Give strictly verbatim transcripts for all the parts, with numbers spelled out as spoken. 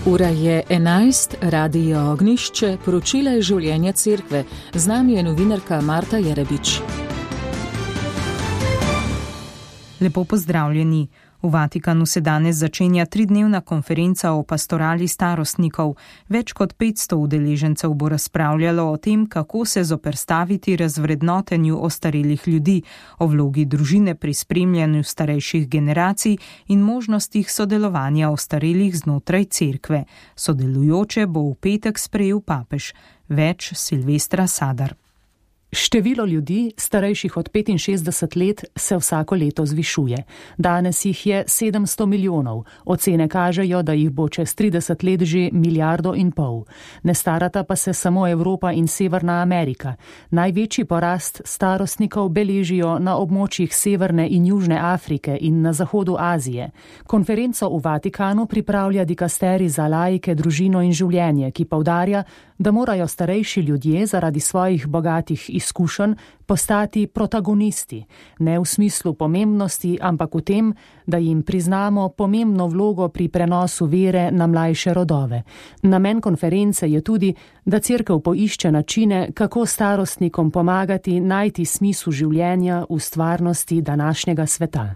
Ura je enajst, Radio Ognjišče, poročila je življenja cerkve. Z nami je novinarka Marta Jerebič. Lepo pozdravljeni. V Vatikanu se danes začenja tridnevna konferenca o pastorali starostnikov. Več kot petsto udeležencev bo razpravljalo o tem, kako se zoperstaviti razvrednotenju ostarelih ljudi, o vlogi družine pri spremljanju starejših generacij in možnostih sodelovanja ostarelih znotraj cerkve. Sodelujoče bo v petek sprejel papež. Več Silvestra Sadar. Število ljudi, starejših od petinšestdeset let, se vsako leto zvišuje. Danes jih je sedemsto milijonov. Ocene kažejo, da jih bo čez trideset let že milijardo in pol. Ne starata pa se samo Evropa in Severna Amerika. Največji porast starostnikov beležijo na območjih Severne in Južne Afrike in na zahodu Azije. Konferenco v Vatikanu pripravlja dikasteri za laike, družino in življenje, ki poudarja, da morajo starejši ljudje zaradi svojih bogatih izkušenj postati protagonisti, ne v smislu pomembnosti, ampak v tem, da jim priznamo pomembno vlogo pri prenosu vere na mlajše rodove. Namen konference je tudi, da cerkev poišče načine, kako starostnikom pomagati najti smisel življenja v stvarnosti današnjega sveta.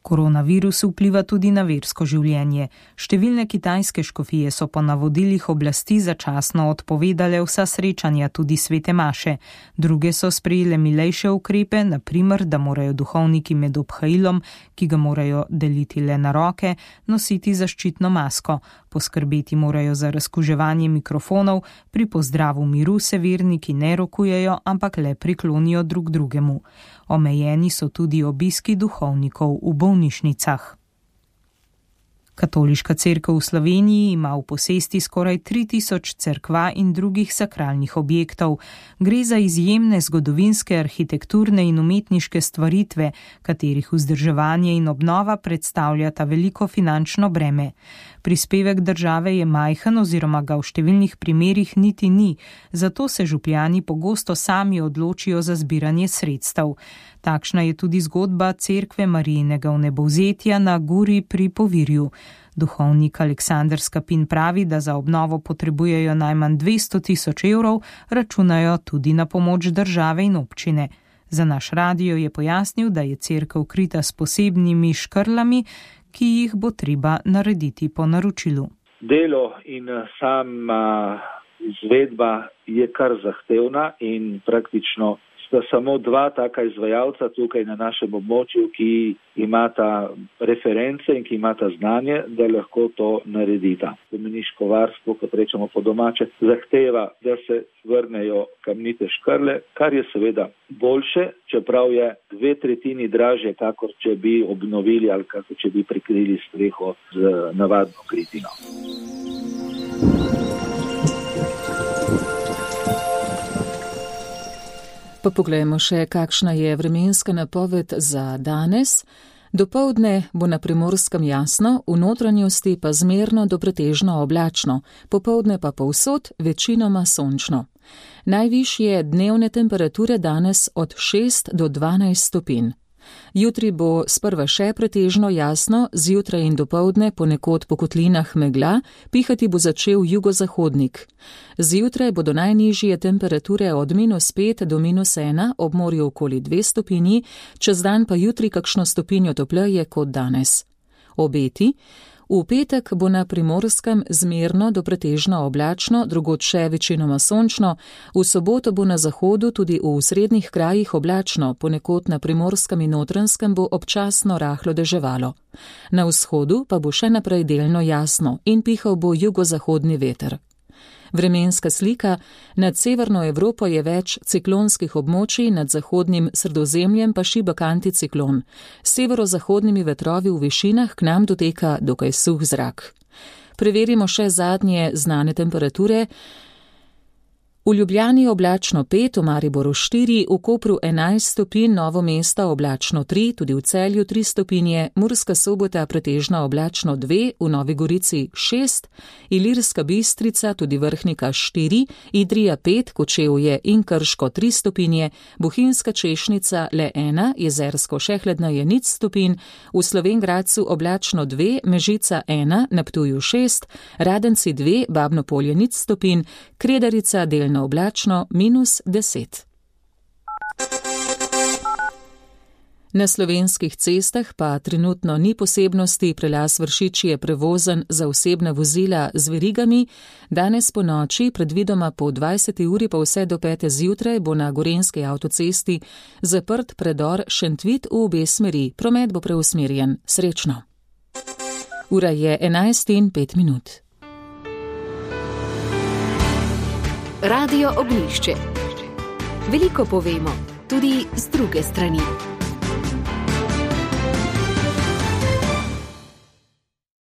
Koronavirus vpliva tudi na versko življenje. Številne kitajske škofije so po navodilih oblasti začasno odpovedale vsa srečanja, tudi svete maše. Druge so sprejele milejše ukrepe, na primer, da morajo duhovniki med obhajilom, ki ga morajo deliti le na roke, nositi zaščitno masko. Poskrbeti morajo za razkuževanje mikrofonov, pri pozdravu miru se verniki ne rokujejo, ampak le priklonijo drug drugemu. Omejeni so tudi obiski duhovnikov v bolnišnicah. Katoliška cerkev v Sloveniji ima v posesti skoraj tri tisoč cerkva in drugih sakralnih objektov. Gre za izjemne zgodovinske, arhitekturne in umetniške stvaritve, katerih vzdrževanje in obnova predstavljata veliko finančno breme. Prispevek države je majhen oziroma ga v številnih primerih niti ni, zato se župljani pogosto sami odločijo za zbiranje sredstev. Takšna je tudi zgodba cerkve Marijinega vnebovzetja na Guri pri Povirju. Duhovnik Aleksander Skapin pravi, da za obnovo potrebujejo najmanj dvesto tisoč evrov, računajo tudi na pomoč države in občine. Za naš radio je pojasnil, da je cerkev krita s posebnimi škrlami, ki jih bo treba narediti po naročilu. Delo in sama izvedba je kar zahtevna in praktično sta samo dva taka izvajalca tukaj na našem območju, ki imata reference in ki imata znanje, da lahko to naredita. Spomeniško varstvo, kot rečemo po domače, zahteva, da se vrnejo kamnite škrle, kar je seveda boljše, čeprav je dve tretjini dražje, kakor če bi obnovili ali kakor če bi prikrili streho z navadno kritino. Pa poglejmo še, kakšna je vremenska napoved za danes. Dopoldne bo na Primorskem jasno, v notranjosti pa zmerno do pretežno oblačno, popoldne pa povsod večinoma sončno. Najvišje dnevne temperature danes od šest do dvanajst stopinj. Jutri bo sprva še pretežno jasno, zjutraj in dopoldne ponekod po kotlinah megla, pihati bo začel jugozahodnik. Zjutraj bodo najnižje temperature od minus pet do minus ena, ob morju okoli dve stopinji, čez dan pa jutri kakšno stopinjo topleje kot danes. Obeti. V petek bo na Primorskem zmerno do pretežno oblačno, drugod še večinoma sončno, v soboto bo na zahodu tudi v srednjih krajih oblačno, ponekod na Primorskem in Notranjskem bo občasno rahlo deževalo. Na vzhodu pa bo še naprej delno jasno in pihal bo jugozahodni veter. Vremenska slika. Nad severno Evropo je več ciklonskih območij, nad zahodnim Sredozemljem pa šibek anticiklon. S severozahodnimi vetrovi v višinah k nam doteka dokaj suh zrak. Preverimo še zadnje znane temperature. V Ljubljani oblačno pet, v Mariboru štiri, v Kopru enajst stopinj, Novo mesto oblačno tri, tudi v Celju tri stopinje, Murska Sobota pretežno oblačno dve, v Novi Gorici šest, Ilirska Bistrica, tudi Vrhnika štiri, Idrija pet, Kočevje in Krško tri stopinje, Bohinjska Češnica le ena, Jezersko Šehledna je nič stopinj, v Slovenj Gradcu oblačno dve, Mežica ena, na Ptuju šest, Radenci dve, Babno Polje nič stopinj, Kredarica delno oblačno minus deset. Na slovenskih cestah pa trenutno ni posebnosti, prelaz Vršič je prevozen za osebna vozila z verigami. Danes po noči, predvidoma po dvajseti uri pa vse do pete zjutraj, bo na Gorenjski avtocesti zaprt predor Šentvit v obe smeri. Promet bo preusmerjen. Srečno. Ura je enajst in pet minut. Radio Ognjišče. Veliko povemo, tudi z druge strani.